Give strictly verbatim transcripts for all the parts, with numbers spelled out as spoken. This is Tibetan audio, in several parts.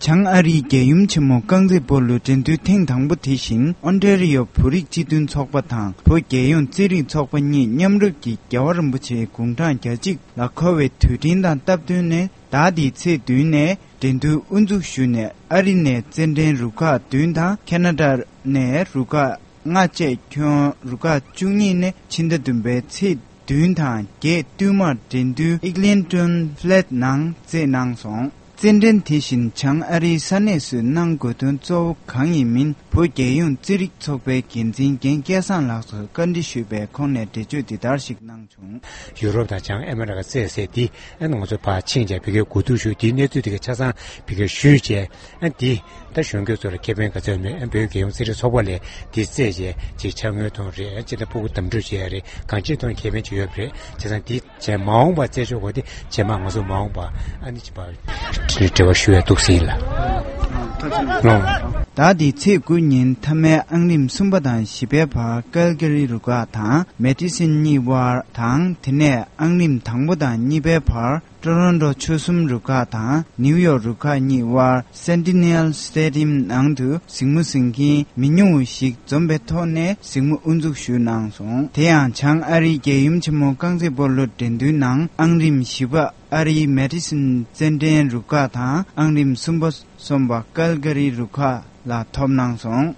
བྱང་ཨ་རིའི་རྒྱལ་ཡུམ་ཆེན་མོ་རྐང་རྩེད་སྤོ་ལོའི་འགྲན་བསྡུར་ཐེངས་དང་པོ་དེ་བཞིན་ཨོན་ཊེ་རི་ཡོ་བོད་རིགས་སྤྱི་མཐུན་ཚོགས་པ་དང་བོད་རྒྱལ་ཡོངས་རྩེད་རིགས་ཚོགས་པ་གཉིས་མཉམ་རུབ་ཀྱིས་རྒྱལ་བ་རིན་པོ་ཆེའི་དགུང་གྲངས་གྱ་གཅིག་ལ་འཁོད་པའི་དུས་དྲན་དང་སྟབས་བསྟུན་ནས། ཟླ་འདིའི་ཚེས་བདུན་ནས་འགྲན་བསྡུར་དབུ་འཛུགས་ཞུས་ནས། ཨ་རི་ནས་རྩེད་འགྲན་རུ་ཁག་བདུན་དང་། ཁེ་ན་ཌ་ནས་རུ་ཁག་ལྔ་བཅས་ཁྱོན་རུ་ཁག་བཅུ་གཉིས་ནས་ཕྱི་ཟླ་བདུན་པའི་ཚེས་བདུན་དང་བརྒྱད་བསྟུད་མར་འགྲན་བསྡུར་ཨིག་ལིན་ཊོན་ཕེ་ལེ་ཊི་ནང་རྩེད་གནང་སོང་། རྩེད་འགྲན་དེ་བཞིན་བྱང་ཨ་རིའི་ས་གནས་སུ་གནང་དགོས་དོན་གཙོ་བོ་གང་ཡིན་མིན། བོད་རྒྱལ་ཡོངས་རྩེད་རིགས་ཚོགས་པའི་འགན་འཛིན་རྒན་སྐལ་བཟང་ལགས་སུ་བཀའ་འདྲི་ཞུས་པས། ཁོང་ནས་འགྲེལ་བརྗོད་འདི་ལྟར་ཞིག་གནང་བྱུང་། ཡུ་རོབ་དང་བྱང་ཨ་མེ་རི་ཀ་རྩེད་ཟེར་འདི་ཨ་ནི་ང་ཚོ་ཕར་ཕྱིན་བྱས་བི་ཀའི་གོ་བསྡུར་ཞུས། འདིའི་གནས་ཚུལ་དེ་ག་ཆ་ཚང་བི་ཀའི་ཞུས་བྱས། ཨ་འདི་ད་གཞོན་སྐྱེས་ཚོ་ལ་ཁེ་ཕན་ག་ཚོད་མེད། ཨ་བོད་རྒྱལ་ཡོངས་རྩེད་རིགས་ཚོགས་པ་ལས་འདི་རྩེད་བྱས་ཅིག་འཆར་ངོས་ཐོན་རེད། ཨ་ཅི་ད་ཕྲུ་གུ་དམ་ཕྲུག་བྱས་རེད། གང་ཅིའི་ཐོག་ཁེ་ཕན་ཅིག་ཡོད་པ་རེད། བྱས་ཙང་འདི་བྱས་མ་འོངས་པ་རྩེད་ཆོག་གོ་དེ་བྱས་མ་ང་ཚོ་མ་འོངས་པ་ཨ་ནི་ཅི་པ་འབྲེལ་བ་ཞུ་ཡ་འདུག་ཟིན་ལ། ཟླ་འདིའི་ཚེས་དགུ་ཉིན་མཐའ་མའི་ཨང་རིམ་གསུམ་པ་དང་བཞི་པའི་བར་ཀལ་ག་རི་རུ་ཁག་དང་མེ་ཏི་སིན་གཉིས་དབར་དང་། དེ་ནས་ཨང་རིམ་དང་པོ་དང་གཉིས་པའི་བར་ཀྲོ་རོན་ཀྲོ་ཆོལ་གསུམ་རུ་ཁག་དང་ནིའུ་ཡོག་རུ་ཁག་གཉིས་དབར་སེན་ཏི་ནེལ་སི་ཊེ་ཌི་ཡམ་ནང་དུ་གཟིགས་མོ་གཟིགས་མཁན་མི་ཉུང་བ་ཞིག་འཛོམས་པའི་ཐོག་ནས་གཟིགས་མོ་དབུ་འཛུགས་ཞུས་གནང་སོང་། དེ་ཡང་བྱང་ཨ་རིའི་རྒྱལ་ཡུམ་ཆེན་མོ་རྐང་རྩེད་སྤོ་ལོ་འགྲན་བསྡུར་ནང་ཨང་རིམ་བཞི་པ་ཨ་རིའི་མེ་ཏི་སིན་རྩེད་འགྲན་རུ་ཁག་དང་། ཨང་རིམ་གསུམ་པ་གསུམ་པ་ཀལ་ག་རི་རུ་ཁག་ལ་ཐོབ་གནང་སོང་།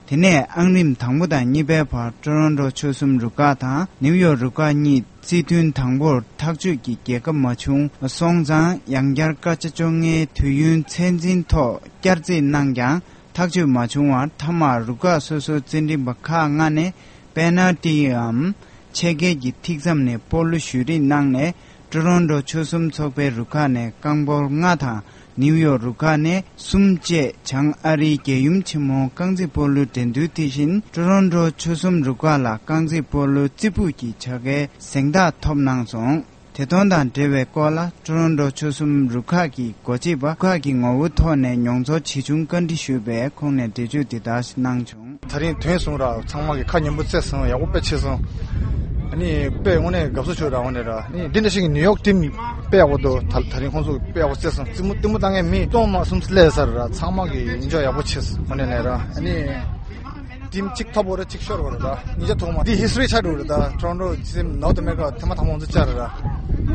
དེ་ནས་ཨང་རིམ་དང་པོ་དང་གཉིས་པའི་བར་ཀྲོ་རོན་ཀྲོ་ཆོལ་གསུམ་རུ་ཁག་དང་ནིའུ་ཡོག་རུ་ཁག་གཉིས་རྩེད་ཐུན་དང་པོར་ཐག་གཅོད་ཀྱི་རྒྱལ་ཁ་མ་བྱུང་སོང་ཙང་། ཡང་བསྐྱར་སྐར་ཆ་བཅོ་ལྔའི་དུས་ཡུན་ཚད་འཛིན་ཐོག་བསྐྱར་རྩེད་གནང་ཀྱང་ཐག་གཅོད་མ་བྱུང་བར་མཐའ་མར་རུ་ཁག་སོ་སོའི་རྩེད་འགྲན་པ་ཁག་ལྔ་ནས་པེ་ནལ་ཊིའམ་ཆད་བརྒལ་གྱི་ཐིག་མཚམས་ནས་སྤོ་ལོ་གཞུ་རེས་གནང་ནས། ཀྲོ་རོན་ཀྲོ་ཆོལ་གསུམ་ཚོགས་པའི་རུ་ཁག་ནས་རྐང་སྤོལ་ལྔ་དང་། ནིའུ་ཡོག་རུ་ཁག་ནས་གསུམ་བཅས་བྱང་ཨ་རིའི་རྒྱལ་ཡུམ་ཆེན་མོ་རྐང་རྩེད་སྤོ་ལོའི་འགྲན་བསྡུར་དེ་བཞིན་ཀྲོ་རོན་ཀྲོ་ཆོལ་གསུམ་རུ་ཁག་ལ་རྐང་རྩེད་སྤོ་ལོའི་རྩེ་ཕུད་ཀྱི་བྱ་དགའི་གཟེངས་རྟགས་ཐོབ་གནང་སོང་། དེ་དོན་དང་འབྲེལ་བའི་སྐོར་ལ་ཀྲོ་རོན་ཀྲོ་ཆོལ་གསུམ་རུ་ཁག་གི་འགོ་ཁྲིད་པ་རུ་ཁག་གི་ངོ་བོའི་ཐོག་ནས་མྱོང་ཚོར་ཇི་བྱུང་བཀའ་འདྲི་ཞུས་པས། ཁོང་ནས་འགྲེལ་བརྗོད་འདི་ལྟར་གནང་བྱུང་། ད་རིང་ཐོན་སོང་ར། ཚང་མ་གི་ཁ་ཉན་པོ་རྩེ་སོང་། ཡག་པོ་དཔེ་ཆེ་སོང་། ཨ་ནི་དཔེ་དངོས་གནས་དགའ་བསུ་ཞུ་ར། དངོས་གནས་ར། ཨ་ནི་འདི་འདྲ་ཞིག་གི་ནིའུ་ཡོག་ཊིམ་དཔེ་ཡག་པོ་འདུག་ད་ད་རིང་ཁོང་ཚོ་དཔེ་ཡག་པོ་རྩེ་སོང་། རྩེད་མོ་རྩེད་མོ་བཏང་མཁན་མི་སྟོང་མ་གསུམ་སླེབས་ས་ར། ཚང་མ་གི་ཡིད་འཇོག་ཡག་པོ་བྱས་སོང་། དངོས་གནས་ནས་ར། ཨ་ནི་ཊིམ་གཅིག་ཐོབ་པ་ར་གཅིག་ཤོར་བ་ར། ད་ཉིས་ཆ་ཐོག་མ་འདི་ཧི་སི་ཊོ་རི་ཆགས་འགྲོ་ར། ད་ཊོ་རོན་ཊོ་ཊིམ་ནོར་ཐི་ཨ་མེ་རི་ཀ་ཐེངས་མ་དང་པོ་ང་ཚོ་བཅར་ར། ཨ་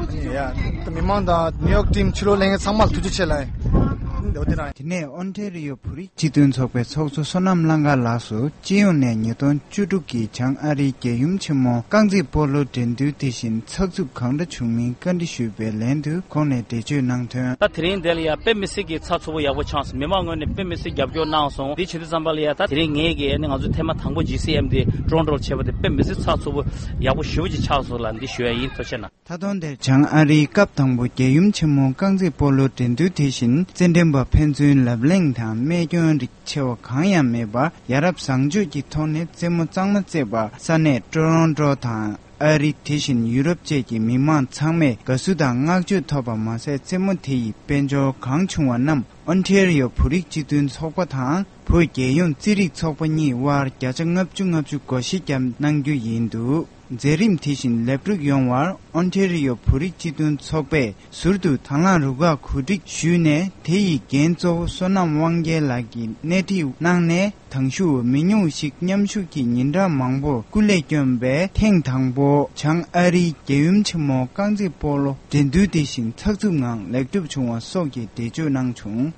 ནི་ཡ་ད་མི་མང་དང་ནིའུ་ཡོག་ཊིམ་ཕྱི་ལོགས་ལེན་མཁན་ཚང་མ་ལ་ཐུགས་རྗེ་ཆེ་ལ། འདི་འདྲ་རང་། དེ་ནས་ཨོན་ཊེ་རི་ཡོ་བོད་རིགས་སྤྱི་མཐུན་ཚོགས་པའི་ཚོགས་གཙོ་བསོད་ནམས་གླང་དཀར་ལགས་སུ་སྤྱི་ཡོངས་ནས་ཉིས་སྟོང་བཅུ་དྲུག་གི་བྱང་ཨ་རིའི་རྒྱལ་ཡུམ་ཆེན་མོ་རྐང་རྩེད་སྤོ་ལོ་འགྲན་བསྡུར་དེ་བཞིན་ཚགས་ཚུད་གང་འདྲ་བྱུང་མིན་བཀའ་འདྲི་ཞུས་པའི་ལན་དུ་ཁོང་ནས་འགྲེལ་བརྗོད་གནང་དོན། ད་དེ་རིང་འདི་ལ་ཡ་དཔེ་མི་སྲིད་ཀྱི་ཚགས་ཚུད་པོ་ཡག་པོ་ཆགས་སོང་། མི་མང་ངོས་ནས་དཔེ་མི་སྲིད་རྒྱབ་སྐྱོར་གནང་སོང་། འདི་བྱེད་དུས་ཙམ་པ་ལ་ཡ་ད་དེ་རིང་ངས་ཀྱི་ཨ་ནི་ང་ཚོ་ཐེངས་མ་དང་པོ་ཇི་སི་ཨེམ་དེ་ཀྲོན་ཀྲོལ་བྱས་པ་དེ་དཔེ་མི་སྲིད་ཚགས་ཚུད་པོ་ཡག་པོ་ཞེ་པོ་ཅིག་ཆགས་སོང་ལ། འདི་ཞུ་ཡ་ཡིན། ཐུགས་རྗེ་གནང་། ད་དུང་དེར་བྱང་ཨ་རིའི་སྐབས་དང་པོ་རྒྱལ་ཡུམ་ཆེན་མོ་རྐང་རྩེད་སྤོ་ལོ་འགྲན་བསྡུར་དེ་བཞིན་རྩེད་འགྲན་པ་ཕན་ཚུན་ལབ་གླེང་དང་རྨས་སྐྱོན་རིགས་ཆེ་བ་གང་ཡང་མེད་པར་ཡ་རབས་བཟང་སྤྱོད་ཀྱི་ཐོག་ནས་རྩེད་མོ་གཙང་མ་རྩེས་པར་ས་གནས་ཀྲོ་རོན་ཀྲོ་དང་ཨ་རི་དེ་བཞིན་ཡུ་རོབ་བཅས་ཀྱི་མི་མང་ཚང་མས་དགའ་བསུ་དང་བསྔགས་བརྗོད་ཐོབ་པ་མ་ཟད། རྩེད་མོ་དེ་ཡི་དཔལ་འབྱོར་གང་བྱུང་བ་རྣམས་ཨོན་ཊེ་རི་ཡོ་བོད་རིགས་སྤྱི་མཐུན་ཚོགས་པ་དང་བོད་རྒྱལ་ཡོངས་རྩེད་རིགས་ཚོགས་པ་གཉིས་དབར་བརྒྱ་ཆ་ལྔ་བཅུ་ལྔ་བཅུ་བགོ་བཤའ་བརྒྱབ་གནང་རྒྱུ་ཡིན་འདུག་མཛད་རིམ་དེ་བཞིན་ལེགས་གྲུབ་ཡོང་བར་ཨོན་ཊེ་རི་ཡོ་བོད་རིགས་སྤྱི་མཐུན་ཚོགས་པས་ཟུར་དུ་དང་བླངས་རུ་ཁག་གོ་སྒྲིག་ཞུས་ནས། དེ་ཡི་འགན་གཙོ་བོ་བསོད་ནམས་དབང་རྒྱལ་ལགས་ཀྱིས་སྣེ་ཁྲིད་གནང་ནས། དང་ཞུ་བ་མི་ཉུང་ཞིག་མཉམ་ཞུགས་ཀྱིས་ཉིན་གྲངས་མང་པོར་སྐུ་ལས་བསྐྱོན་པས། ཐེངས་དང་པོ་བྱང་ཨ་རིའི་རྒྱལ་ཡུམ་ཆེན་མོ་རྐང་རྩེད་སྤོ་ལོ་འགྲན་བསྡུར་དེ་བཞིན་ཚགས་ཚུད་ངང་ལེགས་གྲུབ་བྱུང་བ་སོགས་ཀྱི་འགྲེལ་བརྗོད་གནང་བྱུང་།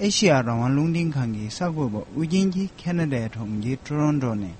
ཨེ་ཤེ་ཡ་རང་དབང་རླུང་འཕྲིན་ཁང་གི་གསར་འགོད་པ་ཨུ་རྒྱན་གྱིས་ཁེ་ན་ཌའི་གྲོང་ཁྱེར་ཊོ་རོན་ཊོ་ནས།